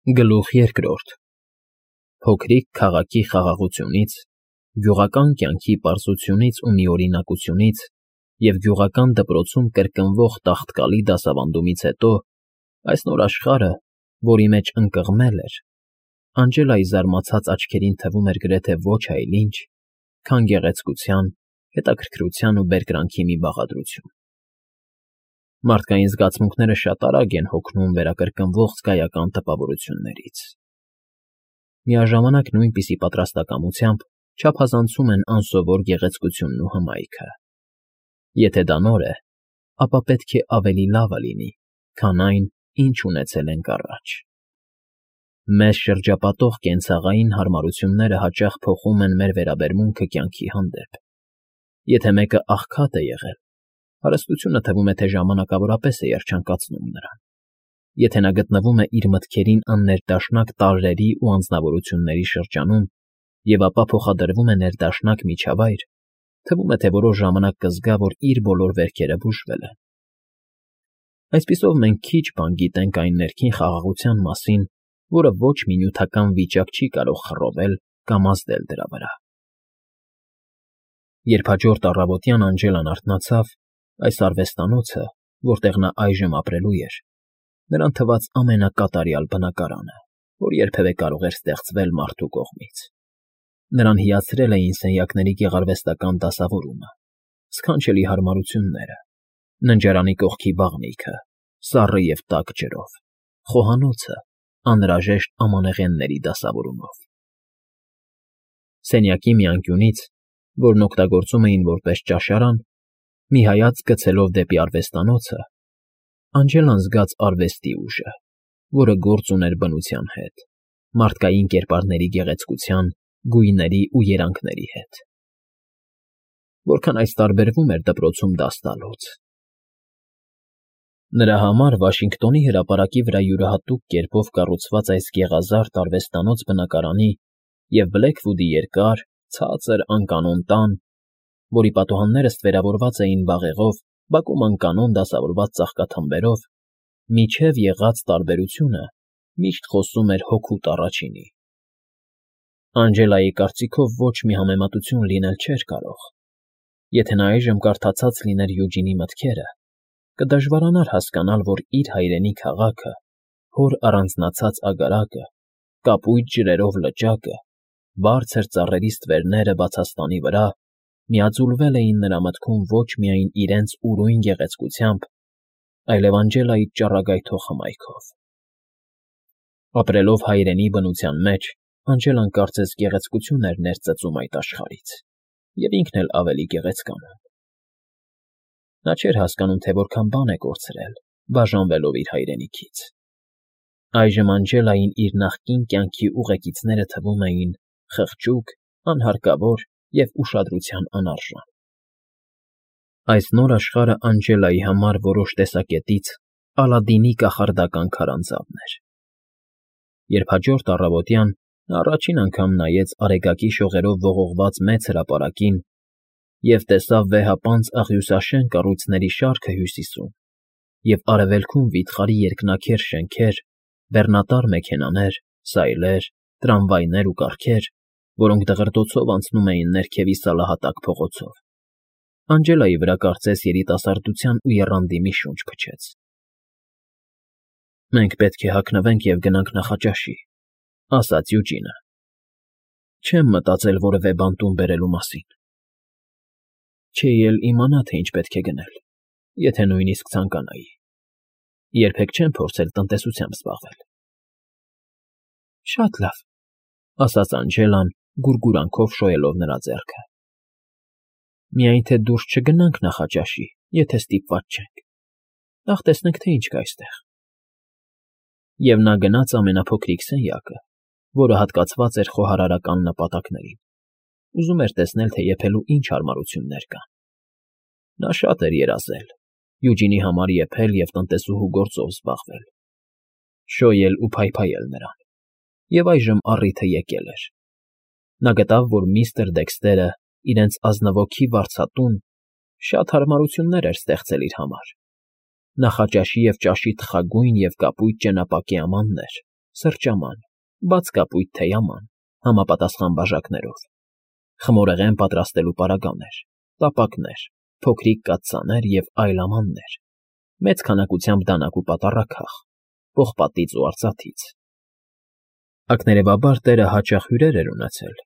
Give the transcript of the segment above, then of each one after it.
Գլուխ երկրորդ Փոքրիկ քաղաքի խաղաղությունից, գյուղական կյանքի պարզությունից ու միօրինակությունից և գյուղական դպրոցում կրկնվող տաղտկալի դասավանդումից հետո այս նոր աշխարհը, որի մեջ ընկղմել էր, Անգելայի զարմացած աչքերին թվում էր գրեթե ոչ այլ ինչ, քան գեղեցկության, հետաքրքրության ու բերկրանքի մի բաղադրություն։ Մարդկային զգացմունքները շատ արագ են հոգնում վերակրկնվող զգայական տպավորություններից։ Միաժամանակ նույնպիսի պատրաստակամությամբ չափազանցում են անսովոր գեղեցկությունն ու հմայքը։ Եթե դա նոր է, ապա պետք է ավելի լավը լինի, քան այն, ինչ ունեցել ենք առաջ։ Մեզ շրջապատող կենցաղային հարմարությունները հաճախ փոխում են մեր վերաբերմունքը կյանքի հանդեպ։ Եթե մեկը աղքատ է եղել, հարստությունը թվում է, թե ժամանակավորապես է երջանկացնում նրան։ Եթե նա գտնվում է իր մտքերին աններդաշնակ տարրերի ու անձնավորությունների շրջանում և ապա փոխադրվում է ներդաշնակ միջավայր, թվում է, թե որոշ ժամանակ կզգա, որ իր բոլոր վերքերը բուժվել են։ Այսպիսով մենք քիչ բան գիտենք այն ներքին խաղաղության մասին, որը ոչ մի նյութական վիճակ չի կարող խռովել կամ ազդել դրա վրա։ Երբ հաջորդ առավոտյան Անգելան արթնացավ, այս արվեստանոցը, որտեղ նա այժմ ապրելու էր, նրան թվաց ամենակատարյալ բնակարանը, որ երբևէ կարող էր ստեղծվել մարդու կողմից։ Նրան հիացրել էին սենյակների գեղարվեստական դասավորումը, սքանչելի հարմարությունները, ննջարանի կողքի բաղնիքը, սառը և տաք ջրով, խոհանոցը անհրաժեշտ ամանեղենների դասավորումով։ Սենյակի մի անկյունից, որն օգտագործում էին որպես ճաշարան, մի հայացք գցելով դեպի արվեստանոցը, Անգելան զգաց արվեստի ուժը, որը գործ ուներ բնության հետ, մարդկային կերպարների գեղեցկության, գույների ու երանգների հետ։ Որքան այս տարբերվում էր դպրոցում դաս տալուց։ Նրա համար Վաշինգտոնի հրապարակի վրա յուրահատուկ կերպով կառուցված այս գեղազարդ արվեստանոց֊բնակարանի և Բլեքվուդի երկար, ցածր, անկանոն տան, որի պատուհանները ստվերավորված էին բաղեղով, բակում անկանոն դասավորված ծաղկաթմբերով, միջև եղած տարբերությունը միշտ խոսում էր հօգուտ առաջինի։ Անգելայի կարծիքով ոչ մի համեմատություն լինել չէր կարող։ Եթե նա այժմ կարդացած լիներ Յուջինի մտքերը, կդժվարանար հասկանալ, որ իր հայրենի քաղաքը, հոր առանձնացած აგարակը, կապույտ ջրերով լճակը, բարձր ծառերի ստվերները բացաստանի վրա միաձուլվել էին նրա մտքում ոչ միայն իրենց ուրույն գեղեցկությամբ, այլև Անգելայի ճառագայթող հմայքով։ Ապրելով հայրենի բնության մեջ, Անգելան կարծես գեղեցկություն էր ներծծում այդ աշխարհից, և ինքն էլ ավելի գեղեցկանում։ Նա չէր հասկանում, թե որքան բան է կորցրել, բաժանվելով իր հայրենիքից։ Այժմ Անգելային իր նախկին կյանքի ուղեկիցները թվում էին խղճուկ, անհարկավոր և ուշադրության անարժան։ Այս նոր աշխարհը Անգելայի համար որոշ տեսակետից Ալադինի կախարդական քարանձավն էր։ Երբ հաջորդ առավոտյան նա առաջին անգամ նայեց արեգակի շողերով ողողված մեծ հրապարակին և տեսավ վեհապանծ աղյուսաշեն կառույցների շարքը հյուսիսում և արևելքում վիթխարի երկնաքեր շենքեր, բեռնատար մեքենաներ, սայլեր, տրամվայներ ու կառքեր, որոնք դղրդոցով անցնում էին ներքևի սալահատակ փողոցով, Անգելայի վրա կարծես երիտասարդության ու եռանդի մի շունչ փչեց։ «Մենք պետք է հագնվենք և գնանք նախաճաշի», ֊ ասաց Յուջինը։ «Չեմ մտածել որևէ բան տուն բերելու մասին։ Չէի էլ իմանա, թե ինչ պետք է գնել, եթե նույնիսկ ցանկանայի։ Երբեք չեմ փորձել տնտեսությամբ զբաղվել»։ «Շատ լավ», ֊ ասաց Անգելան, գուրգուրանքով շոյելով նրա ձեռքը։ «Միայն թե դուրս չգնանք նախաճաշի, եթե ստիպված չենք։ Նախ տեսնենք, թե ինչ կա այստեղ»։ Եվ նա գնաց ամենափոքրիկ սենյակը, որը հատկացված էր խոհարարական նպատակներին, ուզում էր տեսնել, թե եփելու ինչ հարմարություններ կան։ Նա շատ էր երազել, Յուջինի համար եփել և տնտեսուհու գործով զբաղվել, շոյել ու փայփայել նրան, և այժմ առիթը եկել էր։ Նա գտավ, որ միստր Դեքստերը իրենց ազնվոքի վարձատուն շատ հարմարություններ էր ստեղծել իր համար. նախաճաշի և ճաշի թխագույն և կապույտ ճենապակյա ամաններ, սրճաման, բաց կապույտ թեյաման, համապատասխան բաժակներով, խմորեղեն պատրաստելու պարագաներ, տապակներ, փոքրիկ կաթսաներ և այլ ամաններ, մեծ քանակությամբ դանակ ու պատառաքաղ, պողպատից ու արծաթից։ Ակներևաբար տերը հաճախ հյուրեր էր ունեցել,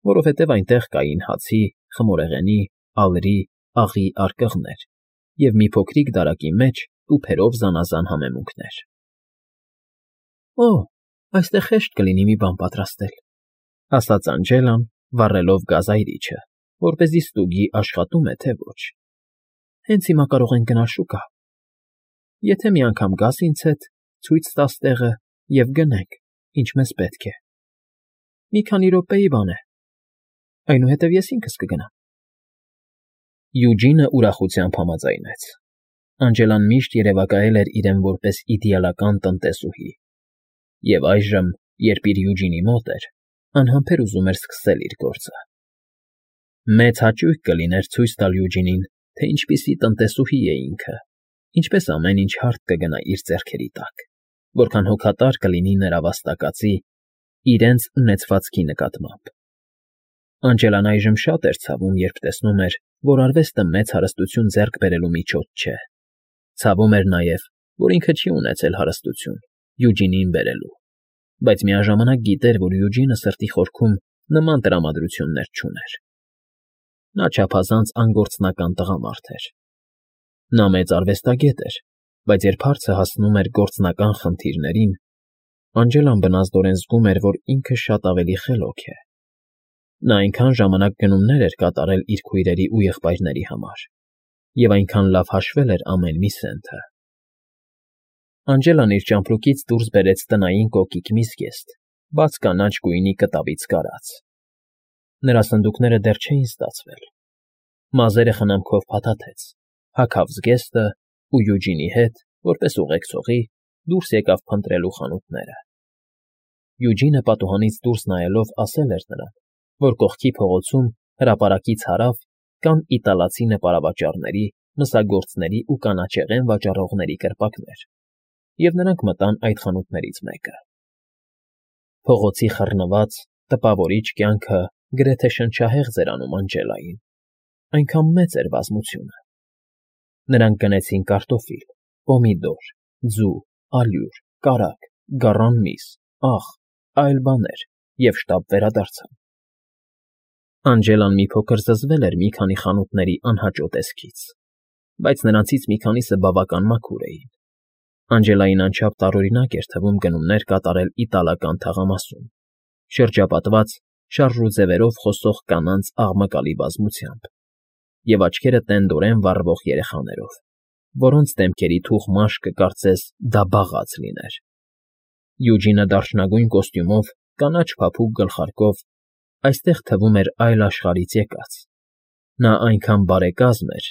որովհետև այնտեղ կային հացի, խմորեղենի, ալրի, աղի արկղներ և մի փոքրիկ դարակի մեջ տուփերով զանազան համեմունքներ։ «Օ, այստեղ հեշտ կլինի մի բան պատրաստել», ֊ ասաց Անջելան, վառելով գազայրիչը, որպեսզի ստուգի աշխատում է, թե ոչ։ «Հենց հիմա կարող ենք գնալ շուկա։ Եթե մի անգամ գաս ինձ հետ, ցույց տաս տեղը և գնենք, ինչ մեզ պետք է։ Մի քանի րոպեի բան է, այնուհետև ես ինքս կգնամ»։ Յուջինը ուրախությամբ համաձայնեց։ Անջելան միշտ երևակայել էր իրեն որպես իդեալական տնտեսուհի, և այժմ, երբ իր Յուջինի մոտ էր, անհամբեր ուզում էր սկսել իր գործը։ Մեծ հաճույք կլիներ ցույց տալ Յուջինին, թե ինչպիսի տնտեսուհի է ինքը, ինչպես ամեն ինչ հարթ կգնա իր ձեռքերի տակ, որքան հոգատար կլինի նրա վաստակածի, իրենց ունեցվածքի նկատմամբ։ Անջելան այժմ շատ էր ցավում, երբ տեսնում էր, որ արվեստը մեծ հարստություն ձեռք բերելու միջոց չէ։ Ցավում էր նաև, որ ինքը չի ունեցել հարստություն Յուջինին բերելու, բայց միաժամանակ գիտեր, որ Յուջինը սրտի խորքում նման տրամադրություններ չուներ։ Նա չափազանց անգործնական տղամարդ էր։ Նա մեծ արվեստագետ էր, բայց երբ հարցը հասնում էր գործնական խնդիրներին, Անջելան բնազդորեն զգում էր, որ ինքը շատ ավելի խելոք է։ Նա այնքան ժամանակ գնումներ էր կատարել իր քույրերի ու եղբայրների համար, և այնքան լավ հաշվել էր ամեն մի սենթը։ Անջելան իր ճամպրուկից դուրս բերեց տնային կոկիկ մի զգեստ, բաց կանաչ գույնի կտավից կարած։ Նրա սնդուկները դեռ չէին ստացվել։ Մազերը խնամքով փաթաթեց, հագավ զգեստը ու Յուջինի հետ, որպես ուղեկցողի, դուրս եկավ փնտրելու խանութները։ Յուջինը պատուհանից դուրս նայելով ասել էր նրան, որ կողքի փողոցում հրապարակից հարավ կան իտալացի նպարավաճառների, մսագործների ու կանաչեղեն վաճառողների կրպակներ, և նրանք մտան այդ խանութներից մեկը։ Փողոցի խռնված, տպավորիչ կյանքը գրեթե շնչահեղձ էր անում Անջելային, այնքան մեծ էր բազմությունը։ Նրանք գնեցին կարտոֆիլ, պոմիդոր, ձու, ալյուր, կարագ, գառան միս, աղ, այլ բաներ և շտապ վերադարձան։ Անջելան մի փոքր զզվել էր մի քանի խանութների անհաճո տեսքից, բայց նրանցից մի քանիսը բավական մաքուր էին։ Անջելային անչափ տարօրինակ էր թվում գնումներ կատարել իտալական թաղամասում, շրջապատված շարժուձևերով խոսող կանանց աղմկալի բազմությամբ և աչքերը տենդորեն վառվող երեխաներով, որոնց դեմքերի թուխ մաշկը կարծես դա բաղաց լիներ։ Յուջինը դարչնագույն կոստյումով, կանաչ փափուկ գլխարկով այստեղ թվում էր այլ աշխարհից եկած։ Նա այնքան բարեկազմ էր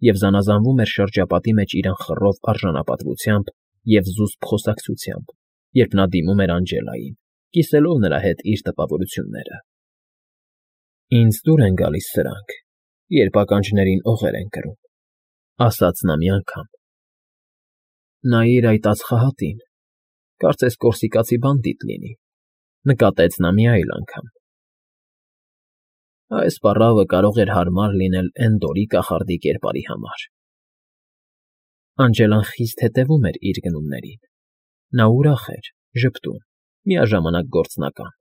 և զանազանվում էր շրջապատի մեջ իր ըխռով արժանապատվությամբ և զուսպ խոսակցությամբ, երբ նա դիմում էր Անջելային, կիսելով նրա հետ իր տպավորությունները։ «Ինձ դուր են գալիս սրանք, երբ ականջներին օղեր են կրում», ֊ ասաց նա մի անգամ։ «Նայիր այդ ածխահատին, կարծես կորսիկացի բանդիտ լինի», ֊ նկատեց նա մի այլ անգամ։ Այս պառավը կարող էր հարմար լինել Էնդորի կախարդի կերպարի համար։ Անջելան խիստ հետևում էր իր գնումներին։ Նա ուրախ էր, ժպտուն, միաժամանակ գործնական։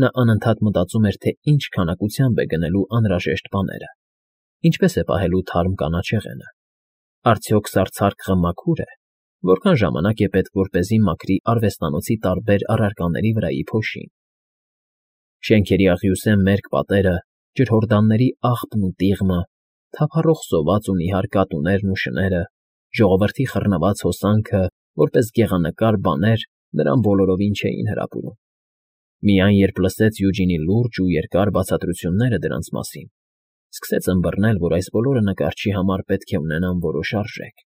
Նա անընդհատ մտածում էր, թե ինչ քանակությամբ է գնելու անհրաժեշտ բաները, ինչպես է պահելու թարմ կանաչեղենը, արդյոք սառցարկղը մաքուր է, որքան ժամանակ է պետք, որպեսզի մաքրի արվեստանոցի տարբեր առարկաների վրայի փոշին։ Շենքերի աղյուսե մերկ պատերը, ջրհորդանների աղբն ու տիղմը, թափառող սոված ու նիհար կատուներն ու շները, ժողովրդի խռնված հոսանքը, որպես գեղանկար բաներ նրան բոլորովին չէին հրապուրում։ Միայն երբ լսեց Յուջինի լուրջ ու երկար բացատրությունները դրանց մասին, սկսեց ըմբռնել, որ այս բոլորը նկարչի համար պետք է ունենան որոշ արժեք։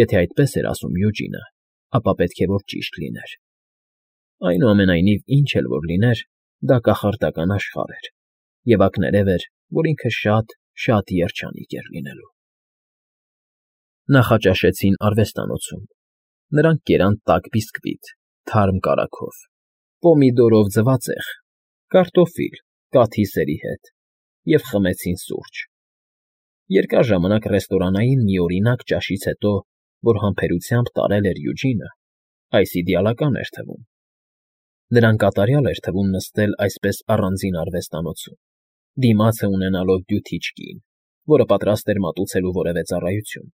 Եթե այդպես էր ասում Յուջինը, ապա պետք է որ ճիշտ լիներ։ Այնուամենայնիվ, ինչ էլ որ լիներ, դա կախարդական աշխարհ էր, և ակներև էր, որ ինքը շատ երջանիկ էր լինելու։ Նախաճաշեցին արվեստանոցում։ Նրանք կերան տաք բիսկվիտ, թարմ կարագով, պոմիդորով ձվածեղ, կարտոֆիլ կաթի սերի հետ և խմեցին սուրճ։ Երկար ժամանակ ռեստորանային միօրինակ ճաշից հետո, որ համբերությամբ տարել էր Յուջինը, այս իդեալական էր թվում։ Նրան կատարյալ էր թվում նստել այսպես առանձին արվեստանոցում, դիմացը ունենալով դյութիչ կին, որը պատրաստ էր մատուցելու որևէ ծառայություն,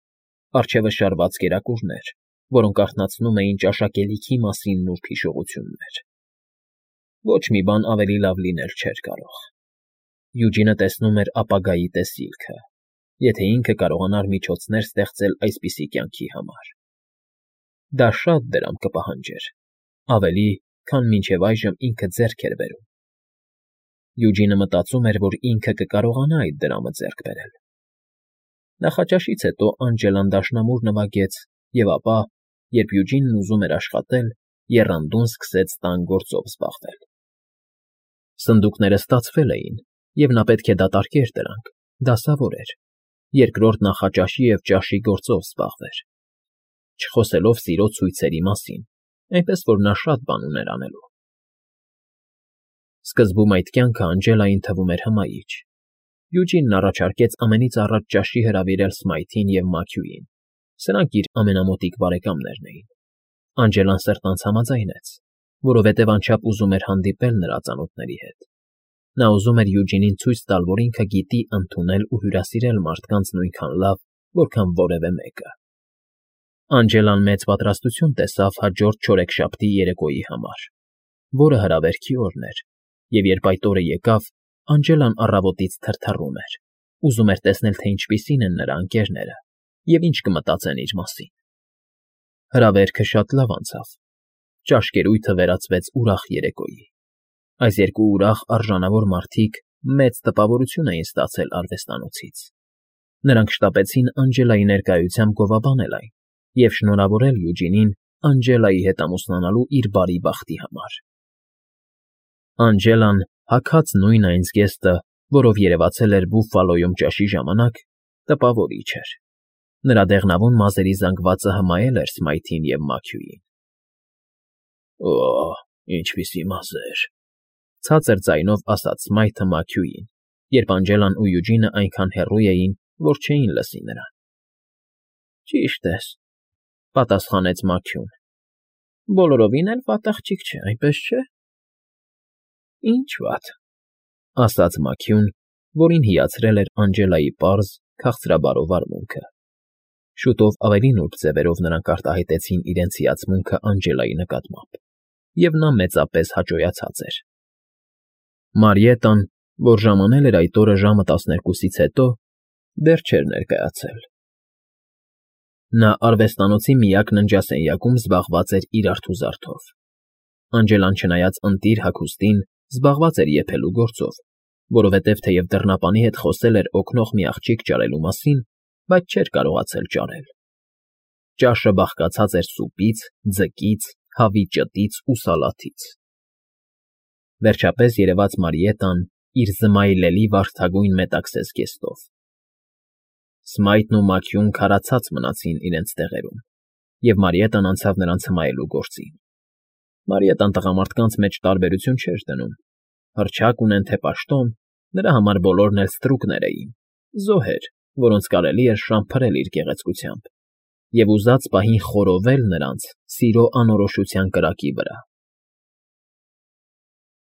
առջևը շարված կերակուրներ, որոնք արթնացնում էին ճաշակելիքի մասին նուրբ հիշողություններ։ Ոչ մի բան ավելի լավ լինել չէր կարող։ Յուջինը տեսնում էր ապագայի տեսիլքը, եթե ինքը կարողանար միջոցներ ստեղծել այսպիսի կյանքի համար։ Դա շատ դրամ կպահանջեր, ավելի, քան մինչև այժմ ինքը ձեռք էր բերում։ Յուջինը մտածում էր, որ ինքը կկարողանա այդ դրամը ձեռք բերել։ Նախաճաշից հետո Անջելան դաշնամուր նվագեց և ապա, երբ Յուջինն ուզում էր աշխատել, եռանդուն սկսեց տան գործով զբաղվել։ Սնդուկները ստացվել էին, և նա պետք է դատարկեր դրանք, դասավոր էր, երկրորդ նախաճաշի և ճաշի գործով զբաղվեր, չխոսելով սիրո ցույցերի մասին, այնպես որ նա շատ բան ուներ անելու։ Սկզբում այդ կյանքը Անջելային թվում էր հմայիչ։ Յուջինն առաջարկեց ամենից առաջ ճաշի հրավիրել Սմայթին և Մաքյուին, սրանք իր ամենամոտիկ բարեկամներն էին։ Անջելան սրտանց համաձայնեց, որովհետև անչափ ուզում էր հանդիպել նրա ծանոթների հետ։ Նա ուզում էր Յուջինին ցույց տալ, որ ինքը գիտի ընդունել ու հյուրասիրել մարդկանց նույնքան լավ, որքան որևէ մեկը։ Անջելան մեծ պատրաստություն տեսավ հաջորդ չորեքշաբթի երեկոյի համար, որը հրավերքի օրն էր, և երբ այդ օրը եկավ, Անջելան առավոտից թրթռում էր, ուզում էր տեսնել, թե ինչպիսին են նրա ընկերները և ինչ կմտածեն իր մասին։ Հրավերքը շատ լավ անցավ։ Ճաշկերույթը վերածվեց ուրախ երեկոյի։ Այս երկու ուրախ արժանավոր մարդիկ մեծ տպավորություն էին ստացել արվեստանոցից։ Նրանք շտապեցին Անջելայի ներկայությամբ գովաբանել այն և շնորհավորել Յուջինին Անջելայի հետ ամուսնանալու իր բարի բախտի համար։ Անջելան, հագած նույն այն զգեստը, որով երևացել էր Բուֆֆալոյում ճաշի ժամանակ, տպավորիչ էր։ Նրա դեղնավուն մազերի զանգվածը հմայել էր Սմայթին և Մաքյուին։ «Օ՜, ինչպիսի մազեր», ֊ ցածր ձայնով ասաց Սմայթը Մաքյուին, երբ Անջելան ու Յուջինը այնքան հեռու էին, որ չէին լսի նրան։ «Ճիշտ ես», ֊ պատասխանեց Մաքյուն։ «Բոլորովին էլ վատ աղջիկ չէ, այնպես չէ՞»։ «Ինչ վատ», ֊ ասաց Մաքյուն, որին հիացրել էր Անջելայի պարզ, քաղցրաբարո վարմունքը։ Շուտով ավելի նուրբ ձևերով նրանք արտահայտեցին իրենց հիացմունքը Անջելայի նկատմամբ, և նա մեծապես հաճոյացած էր։ Մարիետան, որ ժամանել էր այդ օրը ժամը 12-ից հետո, դեռ չէր ներկայացել։ Նա արվեստանոցի միակ ննջասենյակում զբաղված էր իր արթուզարդով։ Անջելան, չնայած ընտիր հագուստին, զբաղված էր եփելու գործով, որովհետև թեև դռնապանի հետ խոսել էր օգնող մի աղջիկ ճարելու մասին, բայց չէր կարողացել ճարել։ Ճաշը բաղկացած էր սուպից, ձկից, հավի ճտից ու սալաթից։ Վերջապես երևաց Մարիետան իր զմայլելի վարդագույն մետաքսե զգեստով։ Սմայթն ու Մաքյուն քարացած մնացին իրենց տեղերում, և Մարիետան անցավ նրանց հմայելու գործին։ Մարիետան տղամարդկանց մեջ տարբերություն չէր դնում։ Հռչակ ունեն թե պաշտոն, նրա համար բոլորն էլ ստրուկներ էին, զոհեր, որոնց կարելի էր շամփրել իր գեղեցկությամբ և ուզած պահին խորովել նրանց սիրո անորոշության կրակի վրա։